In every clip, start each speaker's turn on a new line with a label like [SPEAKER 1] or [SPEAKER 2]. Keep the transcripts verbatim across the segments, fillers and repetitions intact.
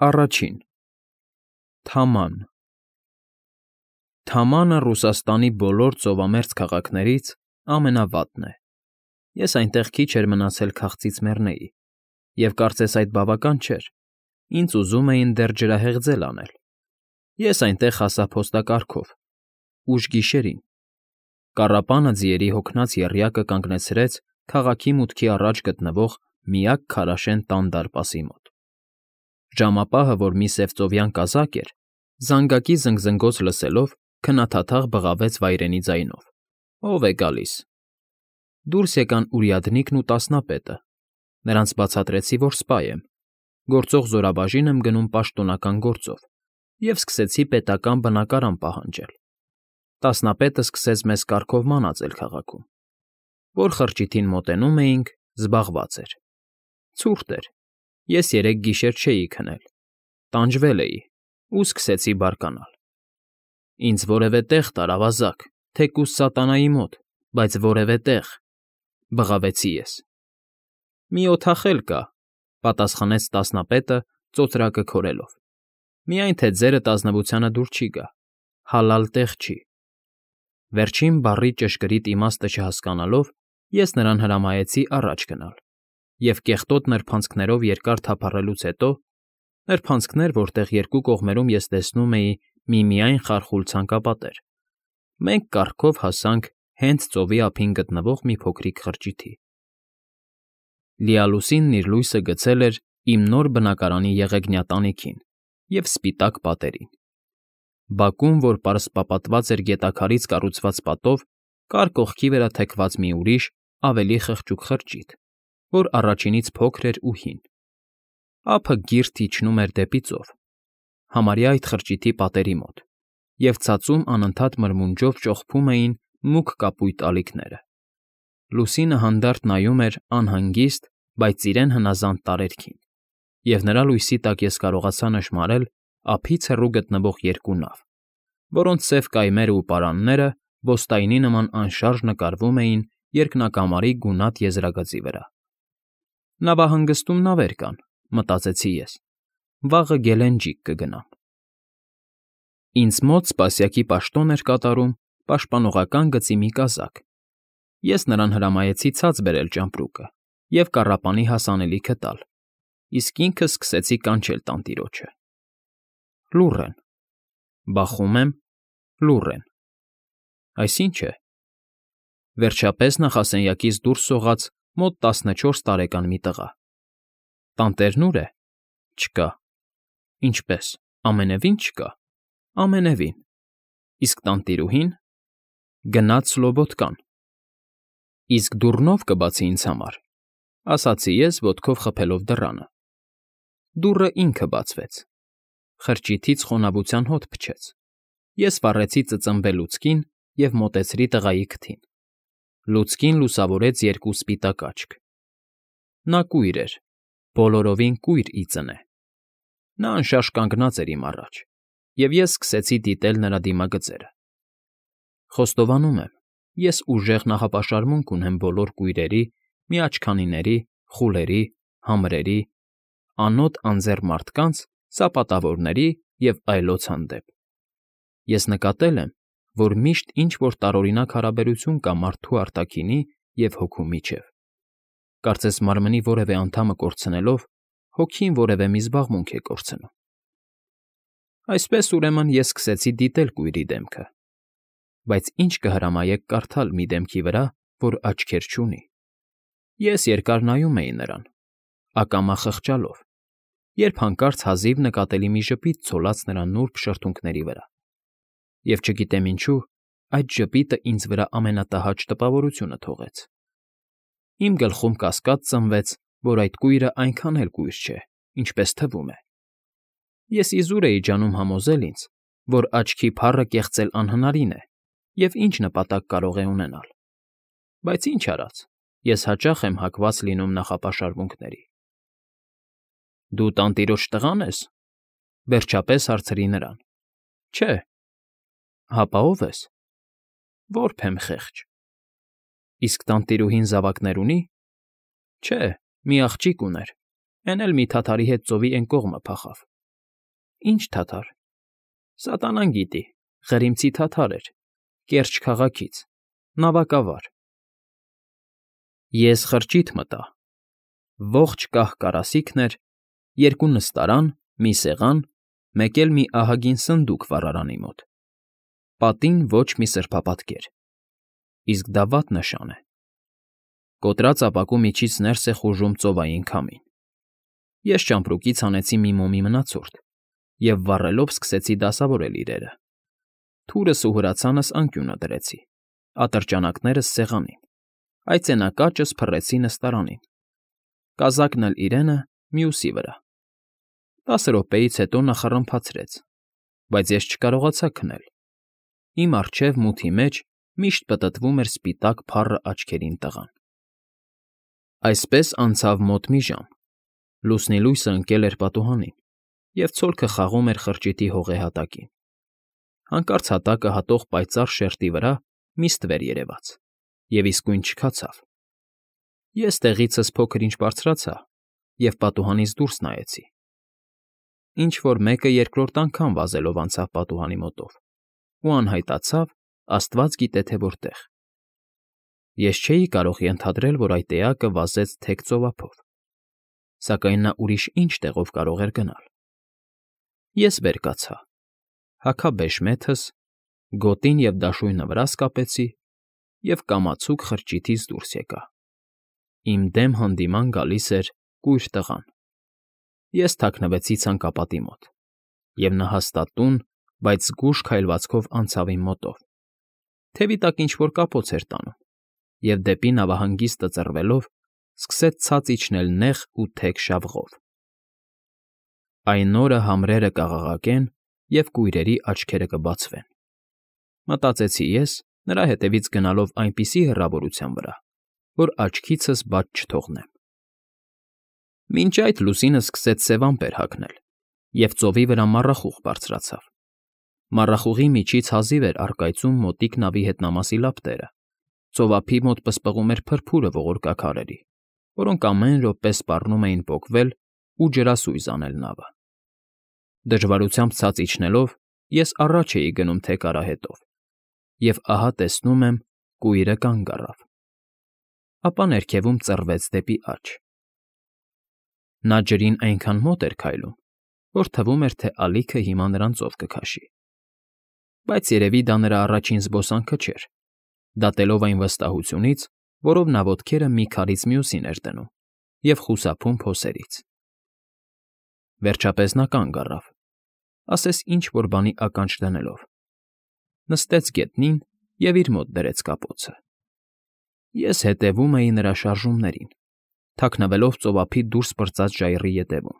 [SPEAKER 1] Առաջին Թաման Թամանը Ռուսաստանի բոլոր ծովամերձ քաղաքներից ամենավատն է. ես այնտեղ քիչ էր մնացել քաղցից մեռնեի, և կարծես այդ բավական չէր, ինձ ուզում էին դեռ ջրահեղձել անել. ես այնտեղ հասա փոստակառքով, ուշ գիշերին, կառապանը ձիերի հոգնած եռյակը կանգնեցրեց քաղաքի մուտքի առաջ գտնվող միակ քարաշեն տան դարպասի մոտ. Ժամապահը, որ մի սևծովյան կազակ էր, զանգակի զնգզնգոց լսելով, քնաթաթաղ բղավեց վայրենի ձայնով. ով է գալիս. Դուրս եկան Ուրյադնիկն ու տասնապետը, նրանց բացատրեցի, որ սպա եմ, գործող զորաբաժին եմ գնում պաշտոնական գործով, և սկսեցի պետական բնակարան պահանջել. տասնապետը սկսեց մեզ կարգով մանածել քաղաքում. որ խրճիթին մոտենում էինք, զբաղված էր. ցուրտ էր, ես երեք գիշեր չէի քնել, տանջվել էի ու սկսեցի բարկանալ. ինձ որևէ տեղ տար, ավազակ, թեկուզ սատանայի մոտ, բայց որևէ տեղ, բղավեցի ես։ Մի օթախել կա, պատասխանեց տասնապետը ծոծրակը քորելով, միայն թե ձերդ ազնվությանը դուր չի գա, հալալ տեղ չի։ Վերջին բառի ճշգրիտ իմաստը չհասկանալով, ես նրան հրամայեցի առաջ գնալ, և կեղտոտ նրբանցքներով երկար թափառելուց հետո, նրբանցքներ, որտեղ երկու կողմերում ես տեսնում էի միմիայն խարխուլ ցանկապատեր, մենք կառքով հասանք հենց ծովի ափին գտնվող մի փոքրիկ խրճիթի. Լիալուսինն իր լույսը գցել էր իմ նոր բնակարանի եղեգնյա տանիքին և սպիտակ պատերին. բակում, որ պարսպապատված էր գետաքարից կառուցված պատով, կար կողքի վրա թեքված մի ուրիշ, ավելի խղճուկ խրճիթ, որ առաջինից փոքր էր ու հին. ափը գիրտ իջնում էր դեպի ծով, համարյա այդ խրճիթի պատերի մոտ, և ցածում անընդհատ մրմունջով ճոխփում էին մուգ կապույտ ալիքները. Լուսինը հանդարտ նայում էր անհանգիստ, բայց իրեն հնազանդ տարերքին, և նրա լույսի տակ ես կարողացա նշմարել ափից հեռու գտնվող երկու նավ, որոնց սև կայմերն ու պարանները ոստայնի նման անշարժ նկարվում էին երկնակամարի գունատ եզրագծի վրա։ Նավահանգստում նավեր կան, մտածեցի ես, վաղը Գելենջիկ կգնամ։ Ինձ մոտ սպասյակի պաշտոն էր կատարում պաշտպանողական գծի մի կազակ. ես նրան հրամայեցի ցած բերել ճամպրուկը և կառապանի հասանելիքը տալ, իսկ ինքը սկսեցի կանչել տանտիրոջը. Լուռ են, բախում եմ, լուռ են, այս ի՞նչ է, վերջապես նախասենյակից դուրս սողաց մոտ տասնչորս տարեկան մի տղա. տանտերն ուր է, չկա, ինչպե՞ս, ամենևին չկա, ամենևին, իսկ տանտիրուհի՞ն, գնաց Սլոբոդկան, իսկ դուռն ո՞վ կբացի ինձ համար, ասացի ես ոտքով խփելով դռանը, դուռը ինքը բացվեց, խրճիթից խոնավության հոտ փչեց, ես վառեցի ծծմբե լուցկին և մոտեցրի տղայի քթին, լուցկին լուսավորեց երկու սպիտակ աչք, նա կույր էր, բոլորովին կույր ի ծնե, նա անշարժ կանգնած էր իմ առաջ, և ես սկսեցի դիտել նրա դիմագծերը, խոստովանում եմ, ես ուժեղ նախապաշարմունք ունեմ բոլոր կույրերի, միաչքանիների, խուլերի, համրերի, անոտ անձեռ մարդկանց, սապատավորների և այլոց հանդեպ, ես նկատել եմ, որ միշտ ինչ֊որ տարօրինակ հարաբերություն կա մարդու արտաքինի և հոգու միջև, կարծես մարմնի որևէ անդամը կորցնելով, հոգին որևէ մի զբաղմունք է կորցնում։ Այսպես, ուրեմն, ես սկսեցի դիտել կույրի դեմքը, բայց ի՞նչ կհրամայեք կարդալ մի դեմքի վրա, որ աչքեր չունի։ Ես երկար նայում էի նրան, ակամա խղճալով, երբ հանկարծ հազիվ նկատելի մի ժպիտ ցոլած նրա նուրբ շրթունքների վրա, և չգիտեմ ինչու, այդ ժպիտը ինձ վրա ամենատհաճ տպավորությունը թողեց։ Իմ գլխում կասկած ծնվեց, որ այդ կույրը այնքան էլ կույր չէ, ինչպես թվում է։ Ես իզուր էի ջանում համոզել ինձ, որ աչքի փառը կեղծել անհնարին է և ինչ նպատակ կարող է ունենալ, բայց ինչ արած, ես հաճախ եմ հակված լինում նախապաշարմունքների։ Դու տանտիրոջ տղա՞ն ես, վերջապես հարցրի նրան։ Չէ։ Հապա ո՞վ ես։ Որբ եմ խեղճ։ Իսկ տանտիրուհին զավակներ ունի։ Չէ, մի աղջիկ ուներ, էն էլ մի թաթարի հետ ծովի էն կողմը փախավ, Ի՞նչ թաթար։ Սատանան գիտի, Ղրիմցի թաթար էր, Կերճ քաղաքից, նավակավար։ Ես խրճիթ մտա, ողջ կահ կարասիքն էր, երկու նստարան, մի սեղան, մեկ էլ մի ահագին սնդուկ վառարանի մոտ, պատին ոչ մի սրբապատկեր, իսկ դա վատ նշան է։ Կոտրած ապակու միջից ներս է խուժում ծովային քամին։ Ես ճամպրուկից հանեցի մի մոմի մնացորդ և վառելով սկսեցի դասավորել իրերը։ Թուրս ու հրացանս անկյունը դրեցի, ատրճանակներս սեղանին, այծենակաճս փռեցի նստարանին, կազակն էլ իրենը մյուսի վրա։ Տասը րոպեից հետո նա խռմփացրեց, բայց ես չկարողացա քնել։ Իմ առջև մութի մեջ միշտ պտտվում էր սպիտակ փառը աչքերին տղան։ Այսպես անցավ մոտ մի ժամ, լուսնի լույսը ընկել էր պատուհանին, և ցոլքը խաղում էր խրճիթի հողե հատակին։ Հանկարծ հատակը հատող պայծառ շերտի վրա մի ստվեր երևաց և իսկույն չքացավ։ Ես տեղիցս փոքր֊ինչ բարձրացա և պատուհանից դուրս նայեցի։ Ինչ֊որ մեկը երկրորդ անգամ վազելով անցավ պատուհանի մոտով ու անհայտացավ աստված գիտե թե որտեղ։ Ես չէի կարող ենթադրել, որ այդ էակը վազեց թեք ծովափով, սակայն նա ուրիշ ինչ տեղով կարող էր գնալ։ Ես վեր կացա, հագա բեշմեթս, գոտին և դաշույնը վրաս կապեցի և կամացուկ խրճիթից դուրս եկա։ Իմ դեմ հանդիման գալիս էր կույր տղան։ Ես թաքնվեցի ցանկապատի մոտ, և նա հաստատուն, բայց զգույշ քայլվածքով անցավ իմ մոտով, թևի տակ ինչ֊որ կապոց էր տանում և դեպի նավահանգիստը ծռվելով սկսեց ցած իջնել նեղ ու թեք շավղով։ Այն օրը համրերը կաղաղակեն, և կույրերի աչքերը կբացվեն, մտածեցի ես, նրա հետևից գնալով այնպիսի հեռավորության վրա, որ աչքիցս բաց չթողնեմ։ Մինչ այդ լուսինը սկսեց սև ամպեր հագնել, և ծովի վրա մառախուղ բարձրացավ։ Մառախուղի միջից հազիվ էր առկայծում մոտիկ նավի հետնամասի լապտերը, ծովափի մոտ պսպղում էր փրփուրը ողորկակ արերի, որոնք ամեն րոպե սպառնում էին պոկվել ու ջրասույզ անել նավը։ Դժվարությամբ ցած իջնելով ես առաջ էի գնում թեք արահետով, և ահա տեսնում եմ՝ կույրը կանգ առավ, ապա ներքևում ծռվեց դեպի աջ։ Նա ջրին այնքան մոտ էր քայլում, որ թվում էր, թե ալիքը հիմա նրան ծով կքաշի։ Բայց երևի դա նրա առաջին զբոսանքը չէր, դատելով այն վստահությունից, որով նա ոտքերը մի քարից մյուսին էր դնում և խուսափում փոսերից։ Վերջապես նա կանգ առավ, ասես ինչ֊որ բանի ականջ դնելով, նստեց գետնին և իր մոտ դրեց կապոցը։ Ես հետևում էի նրա շարժումներին, թաքնվելով ծովափի դուրս պրծած ժայռի ետևում։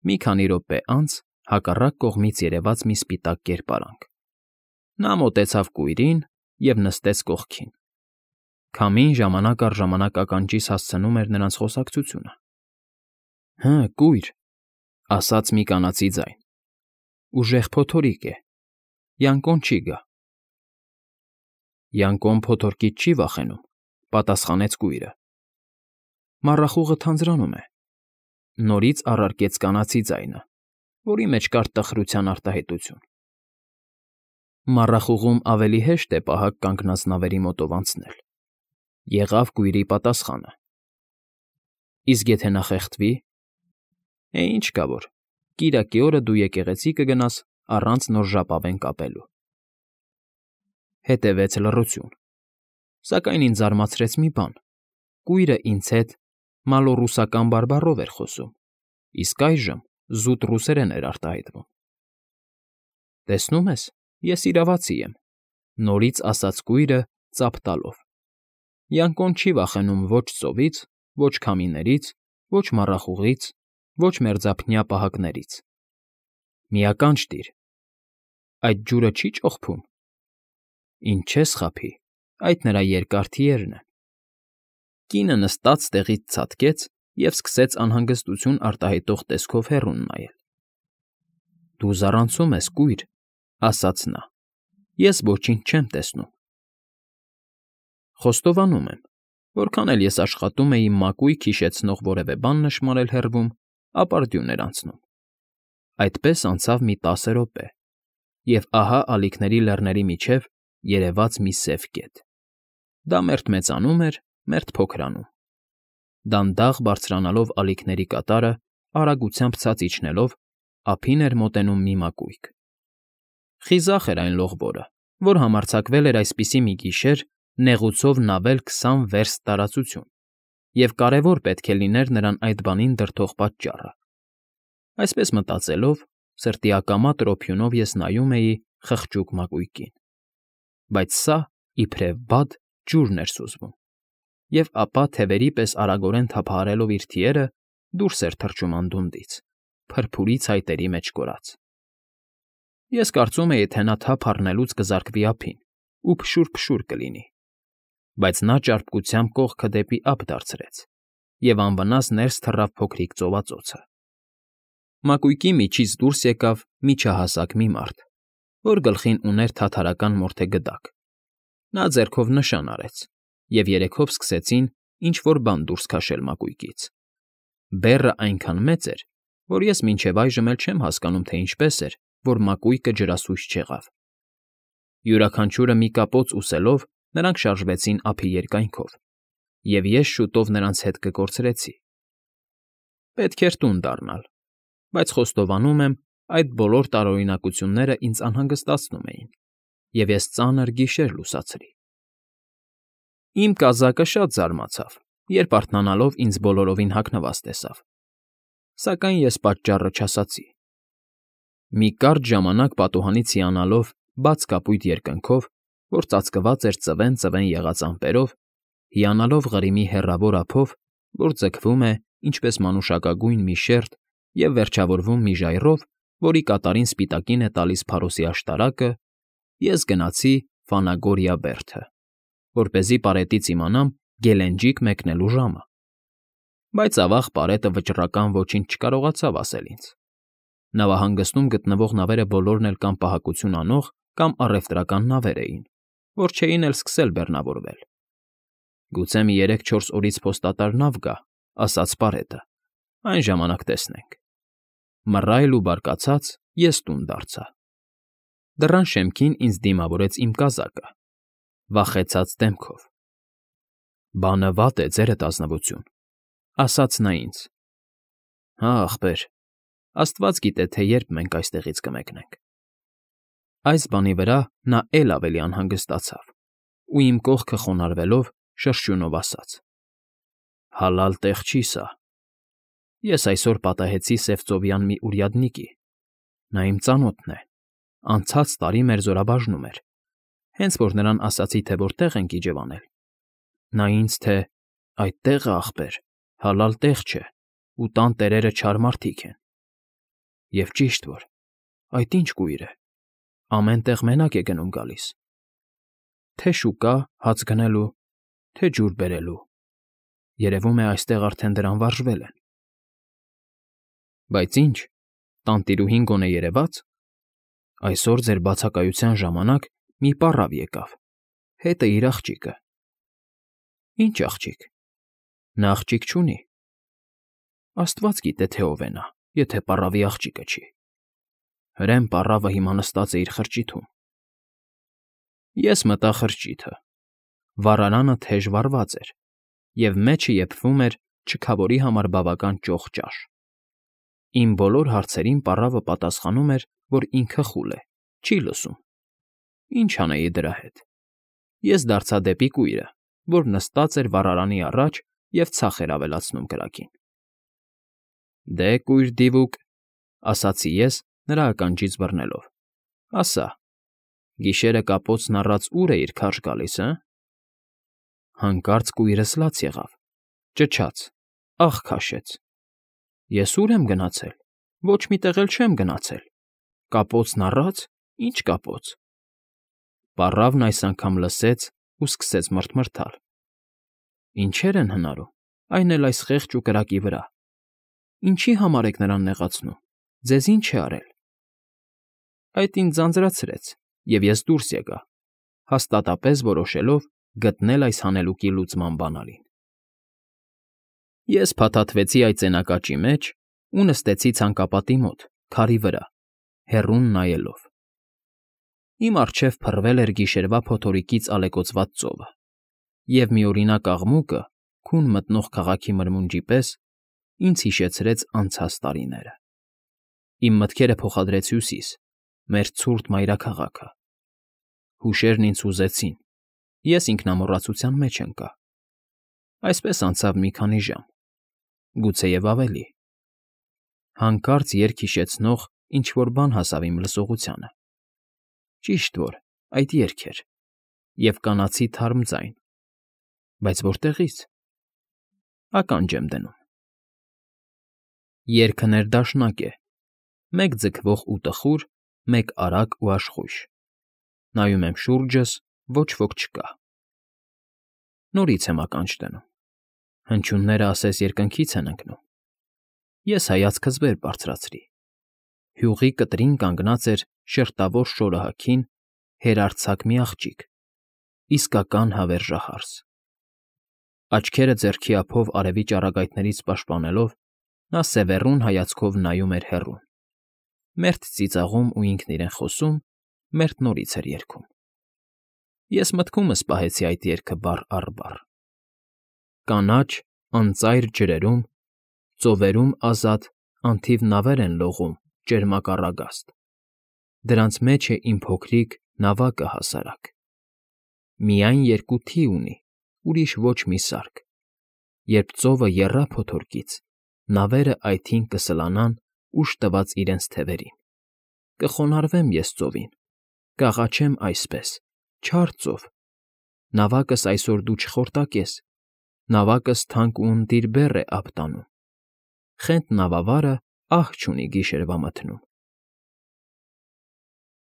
[SPEAKER 1] Մի քանի րոպե անց հակառակ կողմից երևաց մի սպիտակ կերպարանք։ Նա մոտեցավ կույրին և նստեց կողքին։ Քամին ժամանակ առ ժամանակ ականջիս հասցնում էր նրանց խոսակցությունը։ ֊ Հը, կույր,֊ ասաց մի կանացի ձայն,֊ ուժեղ փոթորիկ է, Յանկոն չի գա։ ֊ Յանկոն փոթորկից չի վախենում,֊ պատասխանեց կույրը։ Մառախուղը թանձրանում է,֊ նորից առարկեց կանացի ձայնը, որի մեջ կար տխրության արտահայտություն։ Մառախուղում ավելի հեշտ է պահակ կանգնած նավերի մոտով անցնել,֊ եղավ կույրի պատասխանը։ Իսկ եթե նա խեղդվի՞։ Է, ինչ կա որ, կիրակի օրը դու եկեղեցի կգնաս առանց նոր ժապավեն կապելու։ Հետևեց լռություն, սակայն ինձ զարմացրեց մի բան. կույրը ինձ հետ մալոռուսական բարբառով էր խոսում, իսկ այժմ զուտ ռուսերեն էր արտահայտվում։ Տեսնում ես, ես իրավացի եմ,֊ նորից ասաց կույրը ծափ տալով։ Յանկոն չի վախենում ոչ ծովից, ոչ քամիներից, ոչ մառախուղից, ոչ մերձափնյա պահակներից։ Մի ականջ տիր, այդ ջուրը չի՞ ճոխփում։ Ինչ չես խաբի, այդ նրա երկար թիերն են։ Կինը նստած տեղից ցատկեց և սկսեց անհանգստություն արտահայտող տեսքով հեռուն նայել։ Դու զառանցում ես, կույր,֊ ասաց նա,֊ ես ոչինչ չեմ տեսնում։ Խոստովանում եմ, որքան էլ ես աշխատում էի մակույկը հիշեցնող որևէ բան նշմարել հեռվում, ապարդյուն էր անցնում։ Այդպես անցավ մի տասը րոպե, և ահա ալիքների լեռների միջև երևաց մի սև կետ. դա մերթ մեծանում էր, մերթ փոքրանում, դանդաղ բարձրանալով ալիքների կատարը, արագությամբ ցած իջնելով, ափին էր մոտենում մի մակույկ։ Խիզախ էր այն լողվորը, որ համարձակվել էր այսպիսի մի գիշեր նեղուցով նավել քսան վերստ տարածություն, և կարևոր պետք է լիներ նրան այդ բանին դրդող պատճառը։ Այսպես մտածելով, սրտի ակամա տրոփյունով ես նայում էի խղճուկ մակույկին, բայց սա, իբրև բադ, ջուրն էր սուզվում, և ապա թևերի պես արագորեն թափահարելով իր թիերը, դուրս էր թռչում անդունդից, փրփուրի ցայտերի մեջ կորած։ Ես կարծում էի, թե նա թափ առնելուց կզարկվի ափին ու փշուր֊փշուր կլինի, բայց նա ճարպկությամբ կողքը դեպի ափ դարձրեց և անվնաս ներս թռավ փոքրիկ ծովածոցը։ Մակույկի միջից դուրս եկավ միջահասակ մի մարդ, որ գլխին ուներ թաթարական մորթե գդակ։ Նա ձեռքով նշան արեց, և երեքով սկսեցին ինչ֊որ բան դուրս քաշել մակույկից։ Բեռը այնքան մեծ էր, որ ես մինչև այժմ էլ չեմ հասկանում, թե ինչպես էր, որ մակույկը ջրասույզ չեղավ։ Յուրաքանչյուրը մի կապոց ուսելով, նրանք շարժվեցին ափի երկայնքով, և ես շուտով նրանց հետ կկորցրեցի։ Պետք էր տուն դառնալ, բայց խոստովանում եմ, այդ բոլոր տարօրինակությունները ինձ անհանգստացնում էին, և ես ծանր գիշեր լուսացրի։ Իմ կազակը շատ զարմացավ, երբ արթնանալով ինձ բոլորովին հագնված տեսավ, սակայն ես պատճառը չասացի։ Մի կարճ ժամանակ պատուհանից հիանալով բաց կապույտ երկնքով, որ ծածկված էր ծվեն֊ծվեն եղած ամպերով, հիանալով Ղրիմի հեռավոր ափով, որ ձգվում է, ինչպես մանուշակագույն մի շերտ և վերջավորվում մի ժայռով, որի կատարին սպիտակին է տալիս փարոսի աշտարակը, ես գնացի Ֆանագորիա բերդը, որպեսզի պարետից իմանամ գելենջիկ մեկնելու ժամը, բայց ավաղ պարետը վճռական ոչինչ չկարողացավ ասել ինձ։ Նավահանգստում գտնվող նավերը բոլորն էլ կամ պահակություն անող, կամ առևտրական նավեր էին, որ չէին էլ սկսել բեռնավորվել։ Գուցե մի երեք֊չորս օրից փոստատար նավ գա, ասաց պարետը, այն ժամանակ տեսնենք։ Մռայլ ու բարկացած ես տուն դարձա։ Դռան շեմքին ինձ դիմավորեց իմ կազակը, վախեցած դեմքով։ «Բանը վատ է, ձերդ ազնվություն», ասաց նա ինձ։ «Հա, ախպեր, աստված գիտե, թե երբ մենք այստեղից կմեկնենք»։ Այս բանի վրա նա էլ ավելի անհանգստացավ ու իմ կողքը խոնարհվելով շրշյունով ասաց. «Հալալ տեղ չի սա։ Ես այսօր պատահեցի Սևծովյան մի урядники, նա իմ ծանոթն է, անցած տարի մեր զորաբաժնում էր, հենց որ նրան ասացի, թե որտեղ ենք իջևանել, նա ինձ, թե այդ տեղը, ախպեր, հալալ տեղ չէ ու տան տերերը չար մարդիկ են։ Եվ ճիշտ որ, այդ ինչ կույր է, ամեն տեղ մենակ է գնում֊գալիս, թե շուկա հաց գնելու, թե ջուր բերելու, երևում է այստեղ արդեն դրան վարժվել են։ Բայց ինչ, տանտիրուհին գոնե երևա՞ց։ Այսօր ձեր բացակայության ժամանակ մի պառավ եկավ, հետը իր աղջիկը։ Ինչ աղջիկ։ Նա աղջիկ չունի։ Աստված գիտե, թե ով է նա, եթե պառավի աղջիկը չի։ Հրեն պառավը հիմա նստած է իր խրճիթում։ Ես մտա խրճիթը։ Վառարանը թեժ վառված էր, և մեջը եփվում էր չքավորի համար բավական ճոխ ճաշ։ Իմ բոլոր հարցերին պառավը պատասխանում էր, որ ինքը խուլ է, չի լսում։ Ինչ անեի դրա հետ։ Ես դարձա դեպի կույրը, որ նստած էր վառարանի առաջ և ցախ էր ավելացնում կրակին։ Դե, կույր դիվուկ, ասացի ես, նրա ականջից բռնելով, ասա, գիշերը կապոցն առած ուր էիր քարշ գալիս, հը։ Հանկարծ կույրս լաց եղավ, ճչաց, աղ քաշեց։ Ես ուր եմ գնացել, ոչ մի տեղ էլ չեմ գնացել, կապոցն առա՞ց, ինչ կապոց։ Պառավն այս անգամ լսեց ու սկսեց մռթմռթալ։ Ինչեր են հնարում, այն էլ այս խեղճ ու կրակի վրա։ Ինչի համար եք նրան նեղացնում, ձեզ ինչ է արել։ Այդ ինձ ձանձրացրեց, և ես դուրս եկա, հաստատապես որոշելով գտնել այս հանելուկի լուծման բանալին։ Ես փաթաթվեցի այդ ծենակաճի մեջ ու նստեցի ցանկապատի մոտ, քարի վրա, հեռուն նայելով։ Իմ առջև փռվել էր գիշերվա փոթորիկից ալեկոծված ծովը, և միօրինակ աղմուկը, քուն մտնող քաղաքի մրմունջի պես, ինձ հիշեցրեց անցած տարիները։ Իմ մտքերը փոխադրեց Հյուսիս, մեր ցուրտ մայրաքաղաքը։ Հուշերն ինձ հուզեցին, ես ինքնամոռացության մեջ ընկա։ Այսպես անցավ մի քանի ժամ, գուցեև ավելի։ Հանկարծ երգ հիշեցնող ինչ֊որ բան հասավ իմ լսողությանը։ Ճիշտ որ, այդ երգ էր, և կանացի թարմ ձայն, բայց որտեղի՞ց։ Ականջ եմ դնում։ Երգը ներդաշնակ է, մեկ ձգվող ու տխուր, մեկ արագ ու աշխույժ։ Նայում եմ շուրջս, ոչ ոք չկա։ Նորից եմ ականջ դնում։ Հնչյունները ասես երկնքից են ընկնում։ Ես հայացքս վեր բարձրացրի։ Հյուղի կտրին կանգնած էր շերտավոր շորահաքին հերարձակ մի աղջիկ, իսկական հավերժահարս։ Աչքերը ձեռքի ափով արևի ճառագայթներից պաշտպանելով, նա սևեռուն հայացքով նայում էր հեռուն, մերթ ծիծաղում ու ինքն իրեն խոսում, մերթ նորից էր երգում։ Ես մտքումս պահեցի այդ երգը բառ առ բառ. Կանաչ, անծայր ջրերում, ծովերում ազատ անթիվ նավեր են լողում ճերմակառագաստ, դրանց մեջ է իմ փոքրիկ նավակը հասարակ։ Միայն երկու թի ունի, ուրիշ ոչ մի սարք, երբ ծովը եռա փոթորկից, նավերը այթին կսլանան ուժ տված իրենց թևերին։ Կխոնարհվեմ ես ծովին, կաղաչեմ այսպես. «Չար ծով, նավակս այսօր դու չխորտակես, նավակս թանկ ու ընտիր բեռ է ափ տանում, խենթ նավավարը ահ չունի գիշերվա մթնում»։